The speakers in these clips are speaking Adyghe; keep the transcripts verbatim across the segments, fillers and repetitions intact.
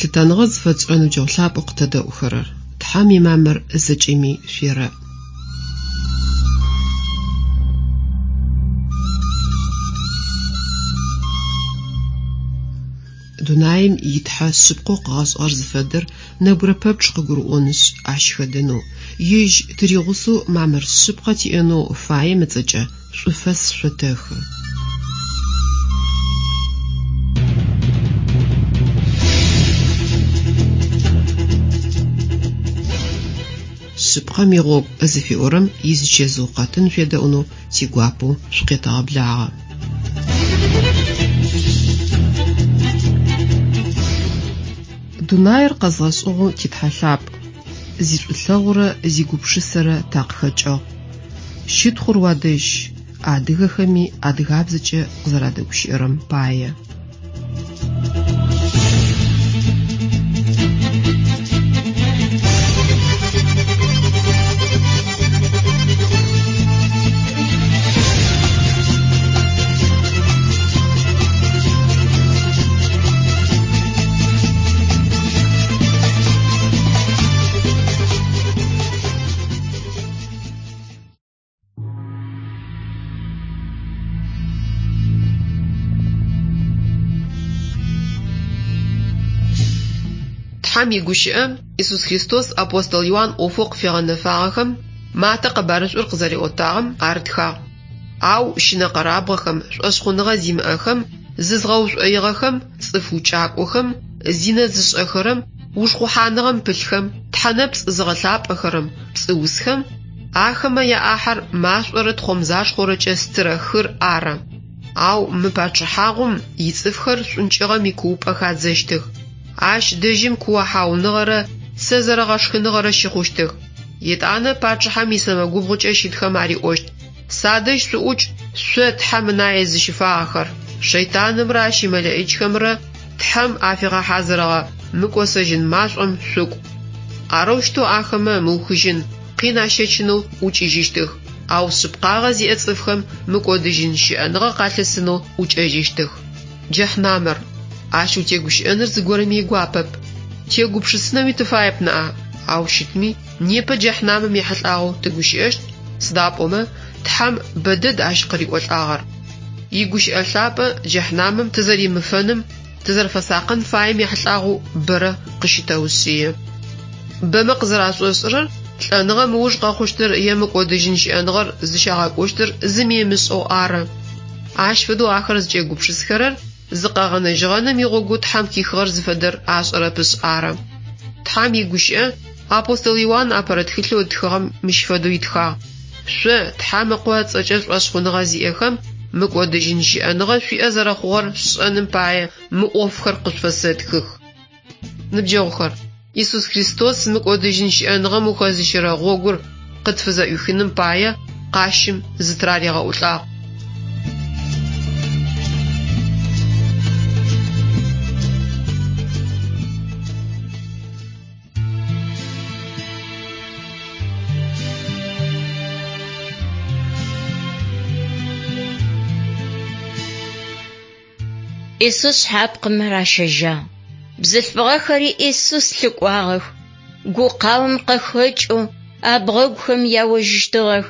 Лъытэныгъэ зыфэтшӏырэ ныбджэгъу лъапӏэу къытэдэӏухэрэр, Тхьэм имамыр зэкӏэми шъуерэӏ. Дунаим итхьэ шъыпкъэу къыгъэшӏыгъэр зыфэдэр нэбгырэ пэпчъ къыгурыӏонышъ, ащ хэдэнэу, ежь тыригъусэу мамыр шъыпкъэ тиӏэнэу фаем ыцӏэкӏэ шӏуфэс шъотэхы. Шъыпкъэм игъогу зыфиӏорэм изычэзыу къэтын шъуедэӏунэу тигуапэу шъукъетэгъэблагъэ. Дунаир къэзгъэшӏыгъэу титхьэ лъапӏ, зишӏулъэгъурэ зигупшысэрэ такъыхэкӏыгъ. Щытхъур уадэжь, адыгэхэми адыгабзэкӏэ къызэрадэгущыӏэрэм пае. Тхьэм игущыӏэ Исус Христос апостол Иуан ӏофэу къыфигъэнэфагъэхэм Матэ къэбарышӏур къызэриӏотагъэм арытхагъ. Ау щынэкъэрабгъэхэм, шӏошъхъуныгъэ зимыӏэхэм, зызгъэушӏоигъэхэм, цӏыф укӏакӏохэм, зинэ зышӏэхэрэм, ушхъухьаныгъэм пылъхэм, тхьэнэпцӏ зыгъэлъапӏэхэрэм, пцӏыусхэм, ахэмэ яӏахьэр машӏорэ тхъомзашхъорэкӏэ стырэ хыр ары. Ау мы пачъыхьагъум ицӏыфхэр шӏункӏыгъэм икуупӏэ хадзэщтых. Ащ дэжьым куохьауныгъэрэ цэ зэрэгъэшхыныгъэрэ щыхъущтых. Етӏанэ пачъыхьэм исэмэгубгъукӏэ щытхэм ариӏощт: «Садэжь шъуӏукӏ, шъо Тхьэм ынае зыщыфагъэхэр, шэйтанымрэ ащ имэлэӏичхэмрэ Тхьэм афигъэхьазырыгъэ мыкӏосэжьын машӏом шъукӏу». Арэущтэу ахэмэ мыухыжьын къин ащэчынэу ӏукӏыжьыщтых, ау шъыпкъагъэ зиӏэ цӏыфхэм мыкӏодыжьын щыӏэныгъэ къалъысынэу ӏукӏэжьыщтых. Джэхьнамэр. Ащ утегущыӏэныр зыгорэми игуапэп. Тегупшысынэуи тыфаеп ныӏа, ау щытми непэ джэхьнамым ехьылӏагъэу тыгущыӏэщт, сыда пӏомэ Тхьэм бэдэд ащ къыриӏолӏагъэр. Игущыӏэ лъапӏэ джэхьнамым тызэримыфэным, тызэрэфэсакъын фаем ехьылӏагъэу бэрэ къыщытэушъые. Бэмэ къызэрашӏошӏырэр лӏэныгъэм ыуж къэхъущтыр е мыкӏодыжьын щыӏэныгъэр зыщагъэкӏощтыр зыми ымышӏэу ары. Ащ фэдэу ахэр зыкӏегупшысхэрэр зыкъэгъэнэжьыгъэным игъогоу Тхьэм хихыгъэр зыфэдэр ашӏэрэпышъ ары. Тхьэм игущыӏэ апостол Иуан апэрэ тхылъэу ытхыгъэм мыщ фэдэу итхагъ: «Шъо, Тхьэм ыкъо ыцӏэкӏэ шӏошъхъуныгъэ зиӏэхэм, мыкӏодыжьын щыӏэныгъэ шъуиӏэ зэрэхъугъэр шъушӏэным пае мы ӏофхэр къышъуфэсэтхых». Ныбджэгъухэр, Исус Христос мыкӏодыжьын щыӏэныгъэм ухэзыщэрэ гъогур къытфызэӏуихыным пае къащым зытыраригъэӏулӏагъ. Исус шъхьапкъым ращэжьагъ. Бзылъфыгъэхэри Исус лъыкӏуагъэх. Гукъаом къыхэкӏэу абгъэгухэм яожьыщтыгъэх.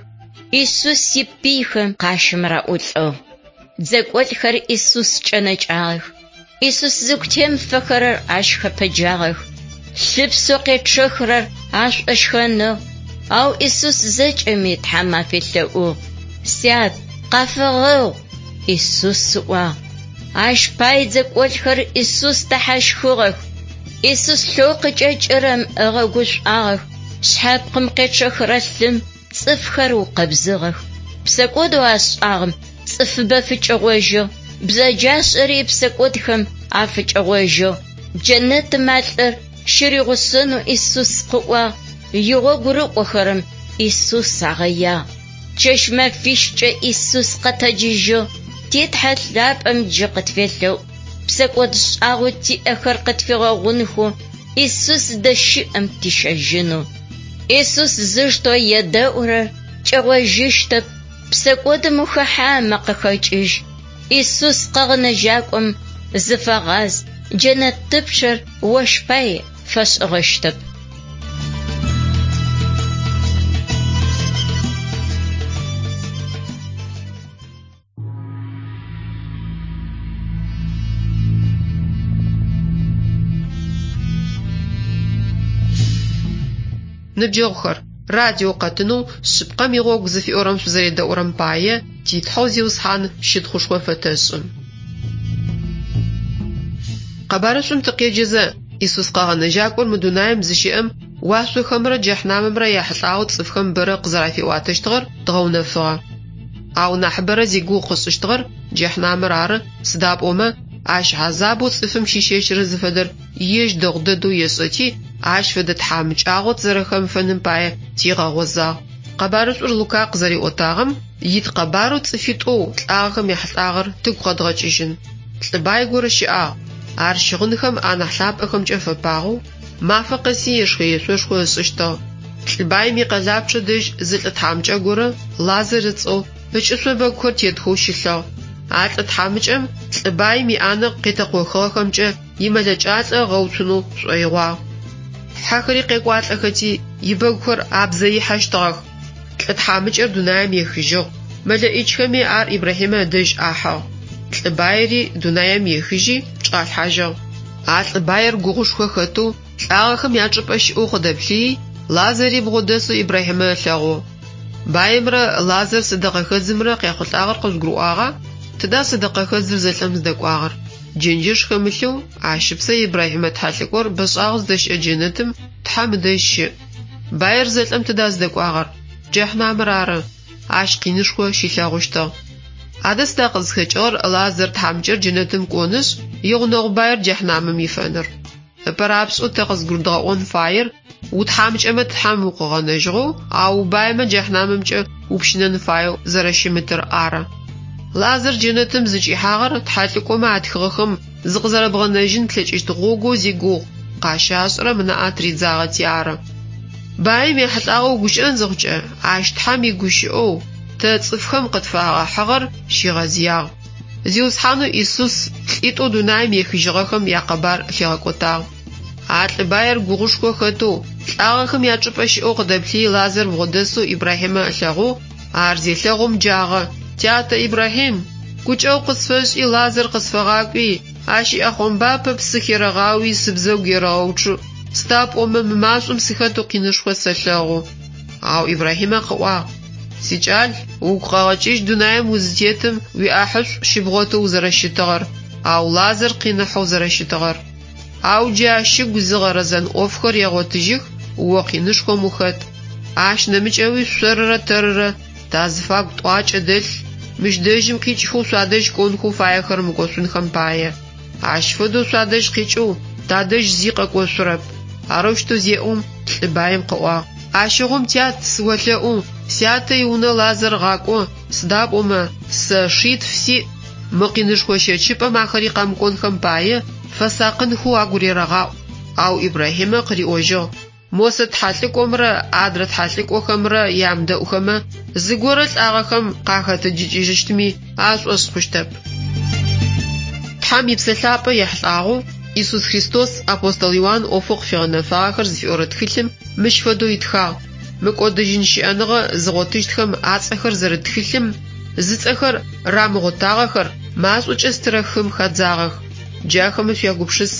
Исус ипыйхэм къащым раӏулӏыгъ. Дзэкӏолӏхэр Исус кӏэнэкӏагъэх. Исус зыгу темыфэхэрэр ащ хэпэджагъэх. Лъыпсэу къечъэхырэр ашӏошхэныгъ. Ау Исус зэкӏэми Тхьэм афелъэӏугъ: «Сят, къафэгъэгъу!» Исус ыӏуагъ. Ащ пай дзэкӏолӏхэр Исус дэхьащхыгъэх. Исус лъэу къыкӏэкӏырэм ыгъэгушӏуагъэх. Шъхьапкъым къечъэхырэ лъым цӏыфхэр укъэбзыгъэх. Псэкӏодэу ашӏагъэм цӏыфыбэ фыкӏэгъожьыгъ. Бзэджашӏэри псэкӏодхэм афыкӏэгъожьыгъ. Джэнэтым а лӏыр щыригъусэнэу Исус къыӏуагъ. Игъогу рыкӏохэрэм Исус агъэягъ. Чэщ мэфищкӏэ Исус къэтэджыжьыгъ. Ти Тхьэ лъапӏэм джы къытфелъэӏу. Псэкӏод шӏагъэу тиӏэхэр къытфигъэгъунхэу Исус зыдэщыӏэм тищэжьынэу. Исус зыштэу едэӏурэр кӏэгъожьыщтэп. Псэкӏодым ухэхьамэ къыхэкӏыжь. Исус къэгъэнэжьакӏом зыфэгъаз, Джэнэтыпчъэр ощ пай фэшӏыгъэщтэп. Ныбджэгъухэр, радио къэтынэу «Шъыпкъэм игъогу» зыфиӏорэм шъузэредэӏурэм пае ти Тхьэу Зиусхьан щытхъушхо фэтэшӏы. Къэбарышӏум тыкъеджэзэ, Исус къэгъэнэжьакӏор мы дунаим зыщыӏэм уашъохэмрэ джэхьнамымрэ яхьылӏагъэу цӏыфхэм бэрэ къызэрафиӏуатэщтыгъэр дгъэунэфыгъэ. Ау нахьыбэрэ зигугъу къышӏыщтыгъэр джэхьнамыр ары, сыда пӏомэ ащ хьазабэу цӏыфым щищэчырэр зыфэдэр ежь дэгъу дэдэу ешӏэти, ащ фэдэ тхьамыкӏагъо тызэрэхэмыфэным пае тигъэгъозагъ. Къэбарышӏур Лука къызэриӏотагъэм ит къэбарэу цӏыфитӏоу лӏагъэхэм яхьылӏагъэр тыгу къэдгъэкӏыжьын. Лӏы бай горэ щыӏагъ. Ар щыгъынхэм анахь лъапӏэхэмкӏэ фэпагъэу, мафэ къэси ешхэ-ешъошхо ышӏыщтыгъ. Лӏы баим икъэлапчъэ дэжь зы лӏы тхьамыкӏэ горэ, Лазар ыцӏэу, ыкӏышъо бэгухэр тетхэу щылъыгъ. А лӏы тхьамыкӏэм лӏы баим иӏанэ къетэкъохыгъэхэмкӏэ имэлэкӏалӏэ ыгъэуцунэу шӏоигъуагъ. Хьэхэри къекӏуалӏэхэти, ибэгухэр абзэ ихьэщтыгъэх. Лӏы тхьамыкӏэр дунаим ехыжьыгъ. Мэлэӏичхэми ар Ибрахьимэ ыдэжь ахьыгъ. Лӏы баери дунаим ехыжьи чӏалъхьажьыгъ. А лӏы баер гугъушхо хэтэу, лӏагъэхэм ячӏыпӏэ щыӏэу къыдэплъыи, Лазари бгъодэсэу Ибрахьимэ ылъэгъугъ. Баемрэ Лазар сэдэкъэхэдзымрэ къяхъулӏагъэр къыжъугурыӏуагъа? Тыда сэдэкъэхэдзыр зэлӏэм зыдэкӏуагъэр? Джэнджэш хэмылъэу, ащ ыпсэ Ибрахьимэ тхьэлӏыкӏор бэшӏагъэу зыдэщыӏэ джэнэтым Тхьэм ыдэжь щыӏ. Баер зэлӏэм тыда зыдэкӏуагъэр? Джэхьнамыр ары. Ащ къинышхо щилъэгъущтыгъ. Адэ сыда къызхэкӏыгъэр Лазар тхьамыкӏэр джэнэтым кӏонышъ, игъунэгъу баер джэхьнамым ифэныр? Ыпэрапшӏэу тэ къызгурыдгъэӏон фаер утхьамыкӏэмэ Тхьэм укъыгъэнэжьыгъэу, ау баемэ джэхьнамымкӏэ упщынэн фаеу зэрэщымытыр ары. Лазар джэнэтым зыкӏихьагъэр тхьэлӏыкӏомэ атхыгъэхэм зыкъызэрэбгъэнэжьын плъэкӏыщт гъогоу зигугъу къащашӏырэм ынаӏэ тыридзагъэти ары. Баем ехьылӏагъэу гущыӏэн зыхъукӏэ, ащ Тхьэм игущыӏэу тэ цӏыфхэм къытфагъэхьыгъэр щигъэзыягъ. Зиусхьанэу Исус лӏитӏоу дунаим ехыжьыгъэхэм якъэбар лъигъэкӏотагъ. А лӏы баер гугъушхо хэтэу, лӏагъэхэм ячӏыпӏэ щыӏэу къыдэплъыи Лазар бгъодэсэу Ибрахьимэ ылъэгъугъ, ар зелъэгъум джагъэ: «Тятэ Ибрахьим, гукӏэгъу къысфэшӏи Лазар къысфэгъакӏуи, ащ иӏэхъомбапэ псы херэгъауи сыбзэгу ерэгъэуцу, сыда пӏомэ мы машӏом сыхэтэу къинышхо сэлъэгъу». Ау Ибрахьимэ къыӏуагъ: «Сикӏал, угу къэгъэкӏыжь дунаим узытетым уиӏахьышӏу щыбгъотэу узэрэщытыгъэр, ау Лазар къиныхьэу зэрэщытыгъэр. Ау джы ащ ыгу зыгъэрэзэн ӏофхэр егъотыжьых, о къинышхом ухэт. Ащ нэмыкӏэуи шъорырэ тэрырэ тазыфагу тӏуакӏэ дэлъ, мыщ дэжьым къикӏхэу шъуадэжь кӏонхэу фаехэр мыкӏошъунхэм пае. Ащ фэдэу шъуадэжь къикӏэу тадэжь зи къэкӏошъурэп». Арэущтэу зеӏом, лӏы баем къыӏуагъ: «Ащыгъум тят, сыолъэӏу, сятэ иунэ Лазар гъакӏо, сыда пӏомэ сэ шитф сиӏ, мы къинышхо щэчыпӏэм ахэри къэмыкӏонхэм пае фэсакъынхэу агу рерэгъаӏу». Ау Ибрахьимэ къыриӏожьыгъ: «Мосэ тхьэлӏыкӏомрэ адрэ тхьэлӏыкӏохэмрэ ямыдэӏухэмэ, зыгорэ лӏагъэхэм къахэтэджыкӏыжьыщтми ашӏошъ хъущтэп». Тхьэм и Псэ Лъапӏэ ехьылӏагъэу Исус Христос апостол Иуан ӏофэу къыфигъэнэфагъэхэр зыфиӏорэ тхылъым мыщ фэдэу итхагъ: «Мыкӏодыжьын щыӏэныгъэ зыгъотыщтхэм ацӏэхэр зэрыт тхылъым зыцӏэхэр рамыгъотагъэхэр машӏокӏэ стырэ хым хадзагъэх. Джахэмэ шъуягупшыс.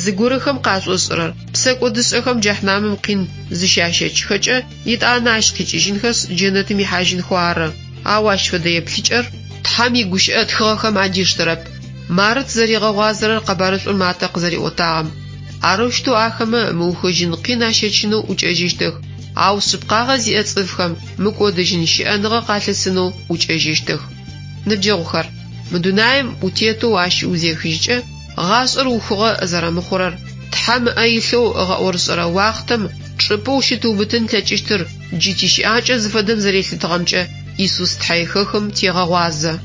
Зыгорэхэм къашӏошӏырэр псэкӏодышӏэхэм джэхьнамым къин зыщащэчыхэкӏэ, итӏанэ ащ къикӏыжьынхэшъ джэнэтым ихьажьынхэу ары. Ау ащ фэдэ еплъыкӏэр Тхьэм игущыӏэ тхыгъэхэм адиштэрэп. Мары тызэригъэгъуазэрэр къэбарышӏур Матэ къызэриӏотагъэм. Арэущтэу ахэмэ мыухыжьын къин ащэчынэу ӏукӏэжьыщтых, ау шъыпкъагъэ зиӏэ цӏыфхэм мыкӏодыжьын щыӏэныгъэ къалъысынэу ӏукӏэжьыщтых». Ныбджэгъухэр, мы дунаим утетэу ащ узехыжькӏэ, гъашӏэр ухыгъэ зэрэмыхъурэр, Тхьэм ыӏэ илъэу ыгъэӏорышӏэрэ уахътэм чӏыпӏэу щытыубытын лъэкӏыщтыр джы тищыӏакӏэ зыфэдэм зэрелъытыгъэмкӏэ Исус тхьэихэхым тегъэгъуазэ.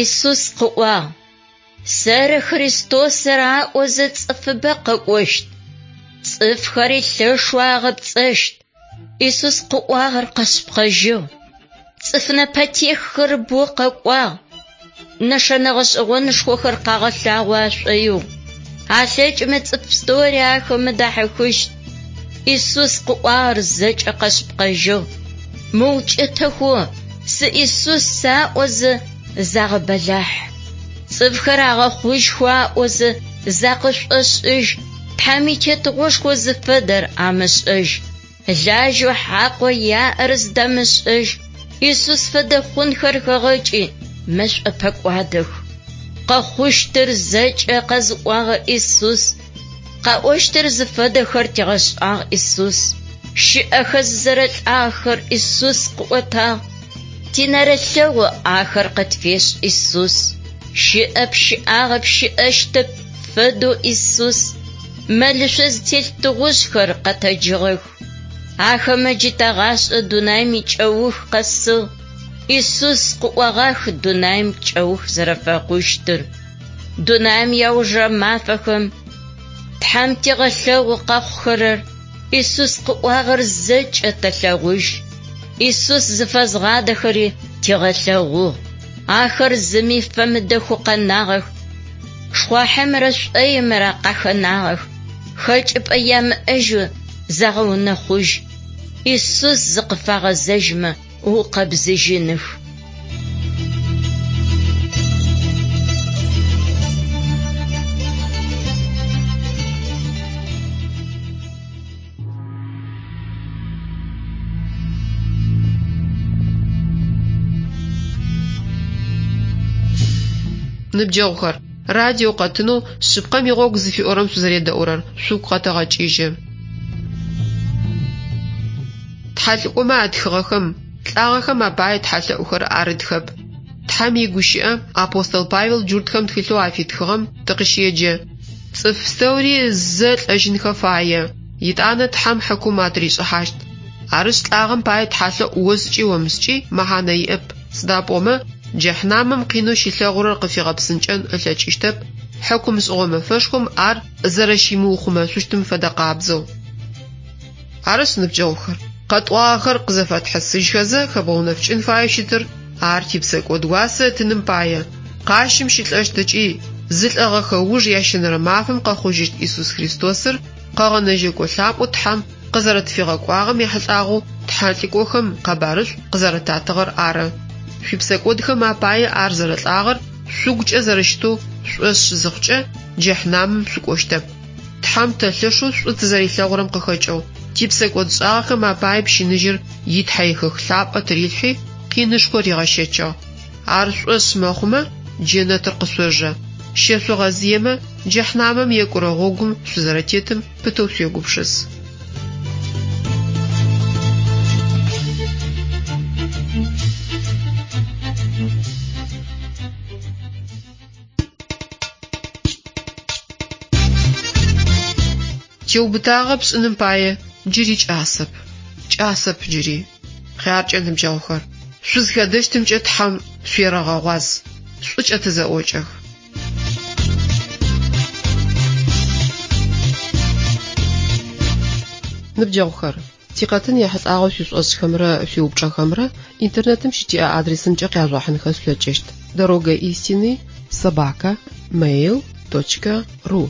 Исус къыӏуагъ: Сэры Христосыр аӏозэ цӏыфыбэ къэкӏощт. Цӏыфхэри лъэшэу агъэпцӏэщт. Исус къыӏуагъэр къэшъыпкъэжьыгъ. Цӏыф нэпэтеххэр бэу къэкӏуагъ. Нэшэнэ гъэшӏэгъонышхохэр къагъэлъагъо ашӏоигъу. Алъэкӏымэ цӏыф пстэури ахэмэ дахьыхыщт. Исус къыӏуагъэр зэкӏэ къэшъыпкъэжьыгъ. Мыукӏытэхэу сы Исус аӏозэ загъэбэлахь. Цӏыфхэр агъэхъужьхэу аӏозэ закъышӏошӏыжь. Тхьэм итетыгъошхо зыфэдэр амышӏэжь. Лажьэу хьакъэу яӏэр зыдамышӏэжь. Исус фэдэ хъунхэр хэгъэкӏи мэшӏо пэкӏуадэх. Къэхъущтыр зэкӏэ къэзыӏуагъэ Исус. Къэӏощтыр зыфэдэхэр тигъэшӏагъ Исус. Щыӏэхэ зызэрэлӏагъэхэр Исус къыӏотагъ. Тинэрылъэгъу ахэр къытфешӏ Исус. Щыӏэп щыӏагъэп щыӏэщтэп фэдэу Исус. Мэлышъо зытелъ тыгъужъхэр къэтэджыгъэх. Ахэмэ джы тэгъашӏэ дунаим икӏэух къэсыгъ. Исус къыӏуагъэх дунаим кӏэух зэрэфэхъущтыр. Дунаим иаужырэ мафэхэм Тхьэм тигъэлъэгъу къэхъухэрэр Исус къыӏуагъэр зэкӏэ тэлъэгъужь. Исус зыфэзгъадэхэри тигъэлъэгъугъ. Ахэр зыми фэмыдэхэу къэнагъэх. Шхъуахьымрэ шӏоимрэ къахэнагъэх. Хэкӏыпӏэ ямыӏэжьэу загъэунэхъужь. Исус зыкъыфагъэзэжьмэ укъэбзыжьыных. Ныбджэгъухэр, радио къэтынэу шъыпкъэм игъогу зыфиӏорэм шъузэредэӏурэр шъугу къэтэгъэкӏыжьы. Тхьэлӏыкӏомэ атхыгъэхэм лӏагъэхэм апае тхьэлъэӏухэр арытхэп. Тхьэм игущыӏэ апостол Павел джуртхэм тхылъэу афитхыгъэм тыкъыщеджэ. Цӏыф пстэури зэ лӏэжьынхэ фае, итӏанэ Тхьэм хьыкум атыришӏыхьащт. Арышъ лӏагъэм пае тхьэлъэӏу ошӏыкӏи омышӏыкӏи мэхьанэ иӏэп. Сыда пӏомэ джэхьнамым къинэу щилъэгъурэр къыфигъэпсынкӏэн ылъэкӏыщтэп, хьыкум шӏыгъо мэфэшхом ар зэрэщимыухъумэшъущтым фэдэ къабзэу. Арышъ, ныбджэгъухэр, къэтӏуагъэхэр къызэфэтхьысыжьхэзэ хэбгъэунэфыкӏын фаеу щытыр ар типсэкӏод уасэ ытыным пае, къащым щылӏэщт ыкӏи зылӏэгъэхэ ыуж ящэнэрэ мафэм къэхъужьыщт Исус Христосыр къэгъэнэжьэкӏо лъапӏэу Тхьэм къызэрэтфигъэкӏуагъэм ехьылӏагъэу тхьэлӏыкӏохэм къэбарышӏу къызэрэтатыгъэр ары. Шъуипсэкӏодхэм апае ар зэрэлӏагъэр шъугукӏэ зэрэщытэу шӏошъ зыхъукӏэ джэхьнамым шъукӏощтэп. Тхьэм тэ лъэшэу шӏу тызэрилъэгъурэм къыхэкӏэу типсэкӏод шӏагъэхэм апае пщыныжьыр итхьэихых лъапӏэ тырилъхьи къинышхо ригъэщэчыгъ. Ар шӏошъ мэхъумэ джэнэтыр къышъожэ. Щэшъугъэзыемэ джэхьнамым екӏурэ гъогум шъузэрэтетым пытэу шъуегупшыс. Теубытагъэ пшӏыным пае джыри кӏасэп. Кӏасэп джыри. Хъяркӏэ ныбджэгъухэр, шъузхэдэщтымкӏэ Тхьэм шъуерэгъэгъуаз. Шӏукӏэ тызэӏокӏэх. Ныбджэгъухэр, тикъэтын ехьылӏагъэу шъуишӏошӏхэмрэ шъуиупчӏэхэмрэ интернетым щытиӏэ адресымкӏэ къяжъугъэхьынхэ шъулъэкӏыщт. Дорога истины собака mail точка ру.